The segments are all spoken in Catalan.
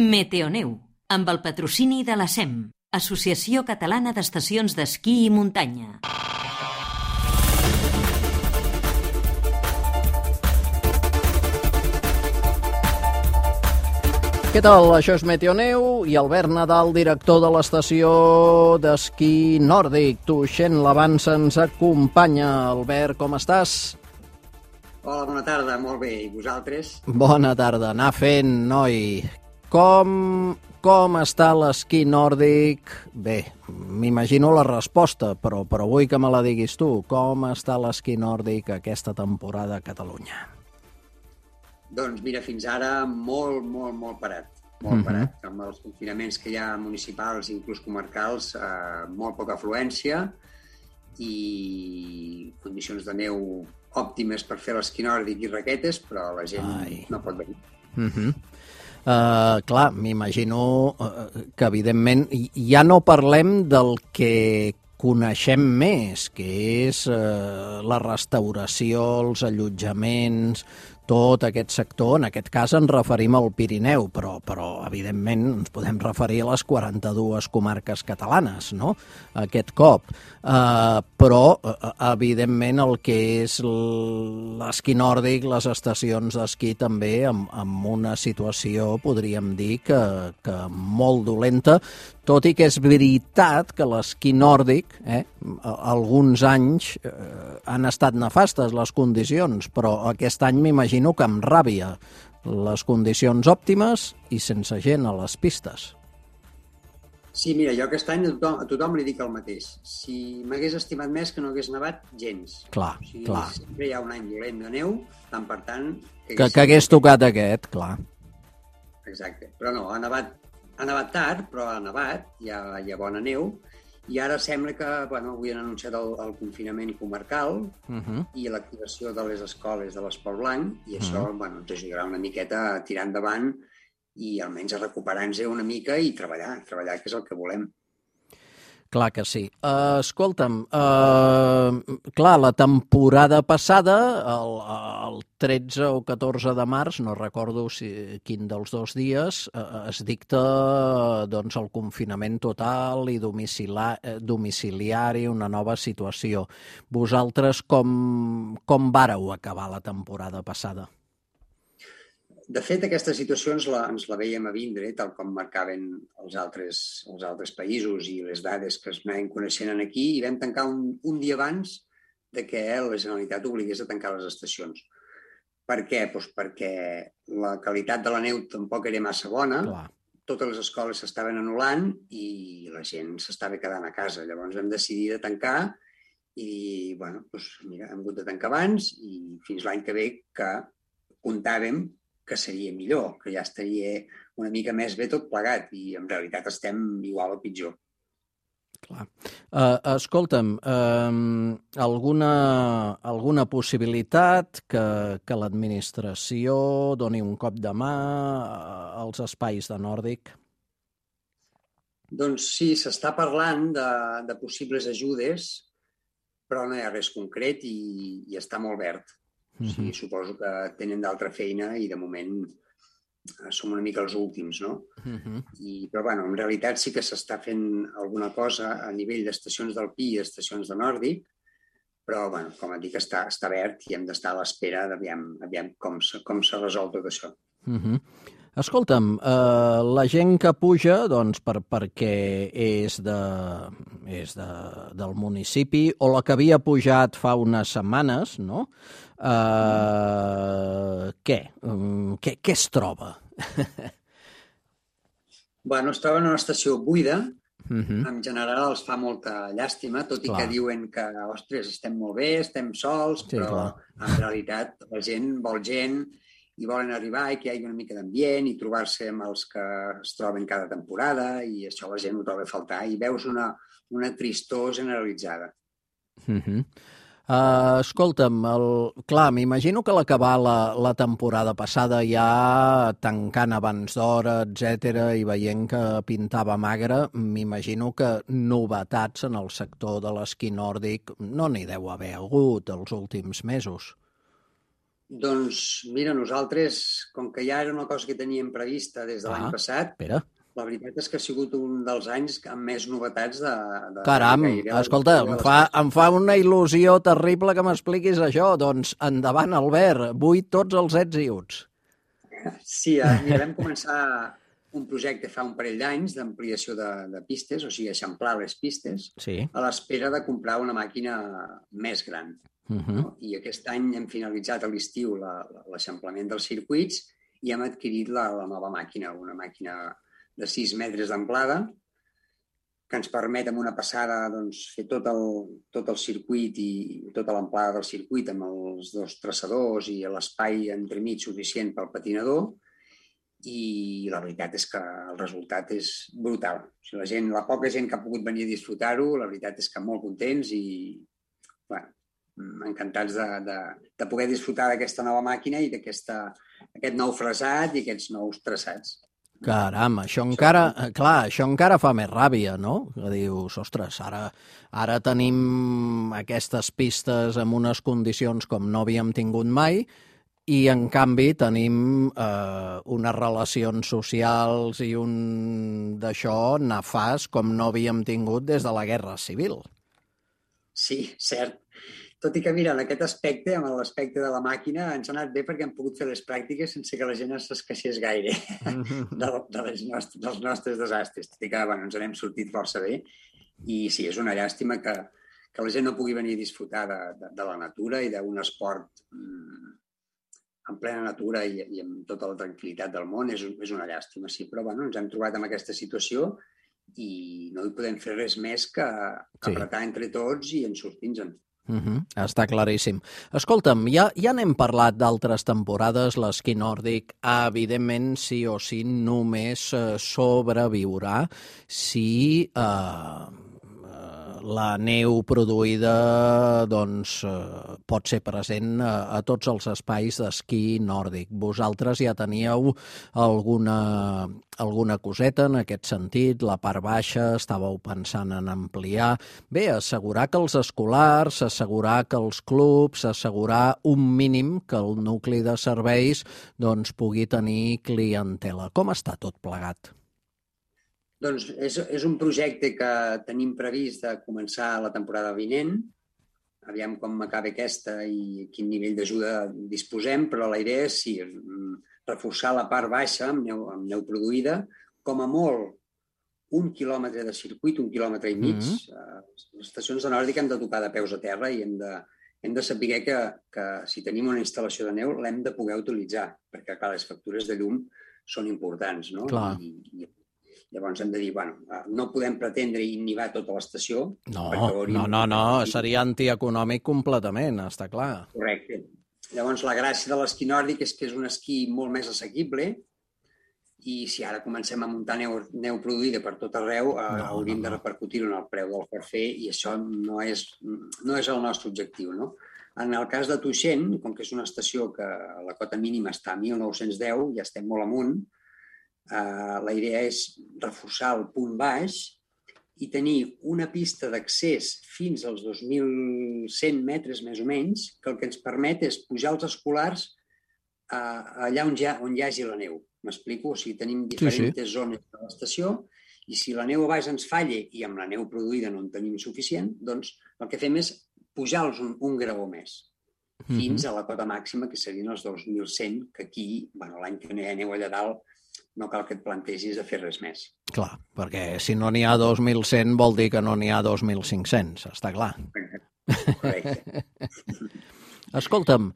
Meteoneu, amb el patrocini de la SEM, Associació Catalana d'Estacions d'Esquí i Muntanya. Què tal? Això és Meteoneu i Albert Nadal, director de l'estació d'esquí nòrdic. Tuixent l'Avanç ens acompanya. Albert, com estàs? Hola, bona tarda, molt bé. I vosaltres? Bona tarda. Anar fent, noi. Com està l'esquí nòrdic? Bé, m'imagino la resposta, però vull que me la diguis tu. Com està l'esquí nòrdic aquesta temporada a Catalunya? Doncs mira, fins ara molt parat. Molt parat. Amb els confinaments que hi ha municipals i inclús comarcals, molt poca afluència i condicions de neu òptimes per fer l'esquí nòrdic i raquetes, però la gent no pot venir. Clar, m'imagino que evidentment ja no parlem del que coneixem més, que és la restauració, els allotjaments, tot aquest sector. En aquest cas ens referim al Pirineu, però evidentment ens podem referir a les 42 comarques catalanes, no?, aquest cop. Però, evidentment, el que és l'esquí nòrdic, les estacions d'esquí també, amb una situació, podríem dir, que molt dolenta, tot i que és veritat que l'esquí nòrdic, alguns anys han estat nefastes les condicions, però aquest any m'imagino que amb ràbia, les condicions òptimes i sense gent a les pistes. Sí, mira, jo aquest any a tothom li dic el mateix. Si m'hagués estimat més que no hagués nevat gens. Clar. Sempre hi ha un any dolent de neu, tant per tant... Que hagués tocat aquest, clar. Exacte, però no, ha nevat tard, però ha nevat, hi ha bona neu, i ara sembla que, avui han anunciat el confinament comarcal i l'activació de les escoles de l'Esport Blanc, i això ens ajudarà una miqueta a tirar endavant i almenys a recuperar-nos una mica i treballar, que és el que volem. Clar que sí. Escolta'm, clar, la temporada passada, el 13 o 14 de març, no recordo quin dels dos dies, es dicta el confinament total i domiciliari, una nova situació. Vosaltres com vàreu acabar la temporada passada? De fet, aquesta situació ens la veiem a vindre, tal com marcaven els altres països i les dades que es anaven coneixent aquí, i vam tancar un dia abans de que la Generalitat obligués a tancar les estacions. Per què? Doncs perquè la qualitat de la neu tampoc era massa bona, totes les escoles s'estaven anul·lant i la gent s'estava quedant a casa. Llavors vam decidir de tancar i, hem hagut de tancar abans i fins l'any que ve que comptàvem que seria millor, que ja estaria una mica més bé tot plegat i en realitat estem igual o pitjor. Clar. Escolta'm, alguna possibilitat que l'administració doni un cop de mà als espais de nòrdic? Doncs sí, s'està parlant de possibles ajudes, però no hi ha res concret i està molt verd. O sigui, suposo que tenen d'altra feina i de moment som una mica els últims, no? Però, en realitat sí que s'està fent alguna cosa a nivell d'estacions d'alpí i estacions de nòrdic, però, com et dic, està verd i hem d'estar a l'espera d'aviam com se resol tot això. Escolta'm, la gent que puja, perquè és del municipi, o la que havia pujat fa unes setmanes, no? Què es troba? Es troba en una estació buida. En general els fa molta llàstima, tot i que diuen que, ostres, estem molt bé, estem sols, però en realitat la gent vol gent i volen arribar i que hi hagi una mica d'ambient i trobar-se amb els que es troben cada temporada i això la gent ho troba a faltar i veus una tristor generalitzada. Escolta'm, clar, m'imagino que a l'acabar la temporada passada ja tancant abans d'hora, etc., i veient que pintava magre, m'imagino que novetats en el sector de l'esquí nòrdic no n'hi deu haver hagut els últims mesos. Doncs mira, nosaltres, com que ja era una cosa que teníem prevista des de l'any passat, espera. la veritat és que ha sigut un dels anys amb més novetats de Caram, gairebé escolta, de l'espai. em fa una il·lusió terrible que m'expliquis això. Doncs endavant, Albert, vull tots els ets i uts. Sí, mira, vam començar un projecte fa un parell d'anys d'ampliació de pistes, o sigui, eixamplar les pistes, Sí. a l'espera de comprar una màquina més gran. No? I aquest any hem finalitzat a l'estiu l'eixamplament dels circuits i hem adquirit la nova màquina, una màquina de 6 metres d'amplada, que ens permet amb una passada doncs, fer tot el circuit i tota l'amplada del circuit amb els dos traçadors i l'espai entremig suficient pel patinador, i la veritat és que el resultat és brutal. O sigui, la poca gent que ha pogut venir a disfrutar-ho, la veritat és que molt contents i bueno, encantats de poder disfrutar d'aquesta nova màquina i d'aquest nou fresat i aquests nous traçats. Caram, això encara fa més ràbia, no? Que dius, ostres, ara tenim aquestes pistes en unes condicions com no havíem tingut mai i, en canvi, tenim unes relacions socials i un d'això nefast com no havíem tingut des de la Guerra Civil. Sí, cert. Tot i que, mira, en aquest aspecte, amb l'aspecte de la màquina, ens ha anat bé perquè hem pogut fer les pràctiques sense que la gent s'esqueixés gaire dels nostres desastres. Tot i que ens n'hem sortit força bé. I sí, és una llàstima que la gent no pugui venir a disfrutar de la natura i d'un esport en plena natura i amb tota la tranquil·litat del món. És una llàstima, sí, però ens hem trobat en aquesta situació i no hi podem fer res més que apretar entre tots i en sortir-nos-en. Està claríssim. Escolta'm, ja n'hem parlat d'altres temporades, l'esquí nòrdic, evidentment, sí o sí, només sobreviurà si la neu produïda pot ser present a tots els espais d'esquí nòrdic. Vosaltres ja teníeu alguna coseta en aquest sentit, la part baixa, estàveu pensant en ampliar. Bé, assegurar que els escolars, assegurar que els clubs, assegurar un mínim que el nucli de serveis pugui tenir clientela. Com està tot plegat? Doncs és un projecte que tenim previst de començar la temporada vinent. Aviam com acaba aquesta i quin nivell d'ajuda disposem, però la idea és, sí, reforçar la part baixa amb neu produïda, com a molt 1 quilòmetre de circuit, 1 quilòmetre i mig. Les estacions de nòrdic hem de tocar de peus a terra i hem de saber que si tenim una instal·lació de neu l'hem de poder utilitzar, perquè clar, les factures de llum són importants, no? Clar. Llavors hem de dir, no podem pretendre inhibar tota l'estació. No, seria antieconòmic completament, està clar. Correcte. Llavors la gràcia de l'esquí nòrdic és que és un esquí molt més assequible i si ara comencem a muntar neu produïda per tot arreu, hauríem de repercutir-ho en el preu del forfait i això no és el nostre objectiu, no? En el cas de Tuixén, com que és una estació que la cota mínima està a 1.910, ja estem molt amunt, la idea és reforçar el punt baix i tenir una pista d'accés fins als 2.100 metres més o menys, que el que ens permet és pujar els escolars allà on hi hagi la neu. M'explico? O sigui, tenim diferents zones de l'estació i si la neu a baix ens falla i amb la neu produïda no en tenim suficient, doncs el que fem és pujar-los un graó més fins a la cota màxima, que serien els 2.100, que aquí, l'any que no hi ha neu allà dalt, no cal que et plantegis de fer res més. Clar, perquè si no n'hi ha 2.100 vol dir que no n'hi ha 2.500, està clar. Correcte. Escolta'm,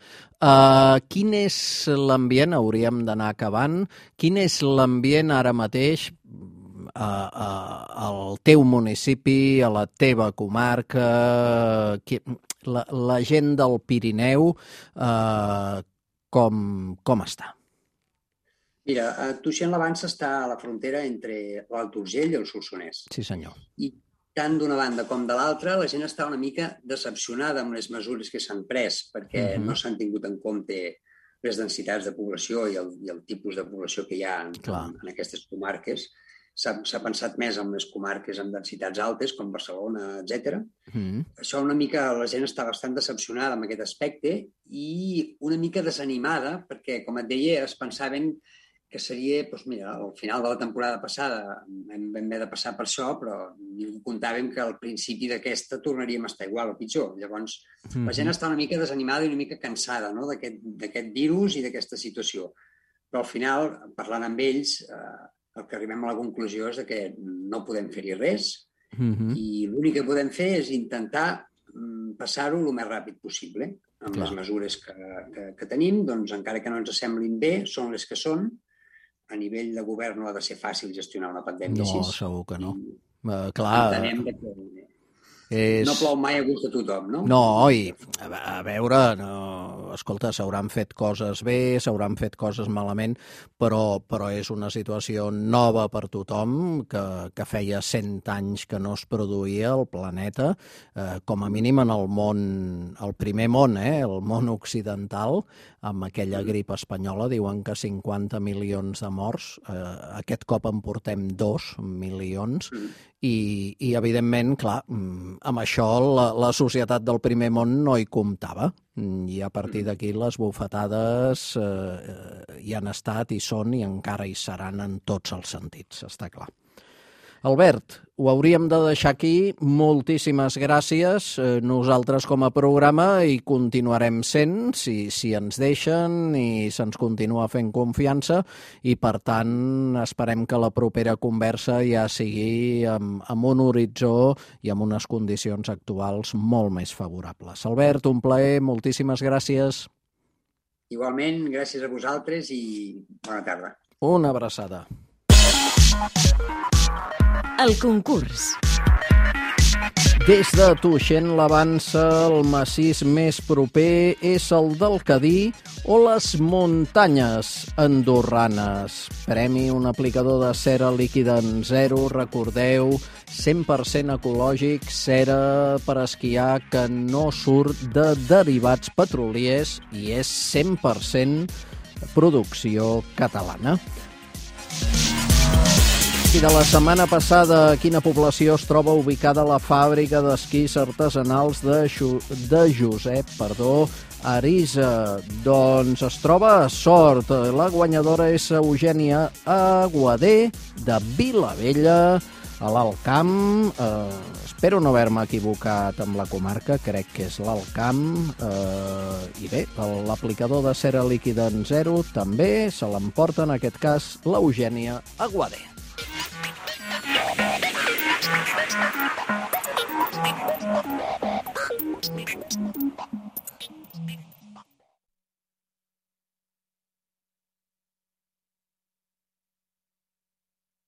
quin és l'ambient, hauríem d'anar acabant, quin és l'ambient ara mateix al teu municipi, a la teva comarca, la gent del Pirineu, com està? Mira, Tuixén l'Avança està a la frontera entre l'Alt Urgell i el Solsonès. Sí, senyor. I tant d'una banda com de l'altra, la gent està una mica decepcionada amb les mesures que s'han pres perquè no s'han tingut en compte les densitats de població i el tipus de població que hi ha en aquestes comarques. s'ha pensat més en les comarques amb densitats altes, com Barcelona, etc. Això una mica la gent està bastant decepcionada amb aquest aspecte i una mica desanimada perquè, com et deia, es pensaven que seria, doncs mira, al final de la temporada passada vam haver de passar per això, però comptàvem que al principi d'aquesta tornaríem a estar igual o pitjor. Llavors, la gent està una mica desanimada i una mica cansada, no?, d'aquest virus i d'aquesta situació. Però al final, parlant amb ells, el que arribem a la conclusió és que no podem fer-hi res i l'únic que podem fer és intentar passar-ho el més ràpid possible. Amb les mesures que tenim, doncs encara que no ens semblin bé, són les que són. A nivell de govern no ha de ser fàcil gestionar una pandèmia així. No, segur que no. Clar, entenem que no plou mai a gust de tothom, no? No, i a veure, escolta, s'hauran fet coses bé, s'hauran fet coses malament, però és una situació nova per tothom, que feia 100 anys que no es produïa al planeta, com a mínim en el món, el primer món, el món occidental, amb aquella grip espanyola, diuen que 50 milions de morts, aquest cop en portem 2 milions, i evidentment, clar, amb això la societat del primer món no hi comptava, i a partir d'aquí les bufetades hi han estat, hi són i encara hi seran en tots els sentits, està clar. Albert, ho hauríem de deixar aquí. Moltíssimes gràcies. Nosaltres com a programa hi continuarem sent, si ens deixen i se'ns continua fent confiança, i per tant esperem que la propera conversa ja sigui amb un horitzó i amb unes condicions actuals molt més favorables. Albert, un plaer, moltíssimes gràcies. Igualment, gràcies a vosaltres i bona tarda. Una abraçada. El concurs. Des de Tuixén l'Avança, el massís més proper és el del Cadí o les muntanyes andorranes. Premi un aplicador de cera líquida en zero, recordeu, 100% ecològic, cera per esquiar que no surt de derivats petroliers i és 100% producció catalana. I de la setmana passada, a quina població es troba ubicada la fàbrica d'esquís artesanals de Josep Arisa? Doncs es troba a Sort. La guanyadora és Eugènia Aguadé, de Vilavella, a l'Alt Camp. Espero no haver-me equivocat amb la comarca, crec que és l'Alt Camp. I bé, l'aplicador de cera líquida en zero també se l'emporta, en aquest cas, l'Eugènia Aguadé.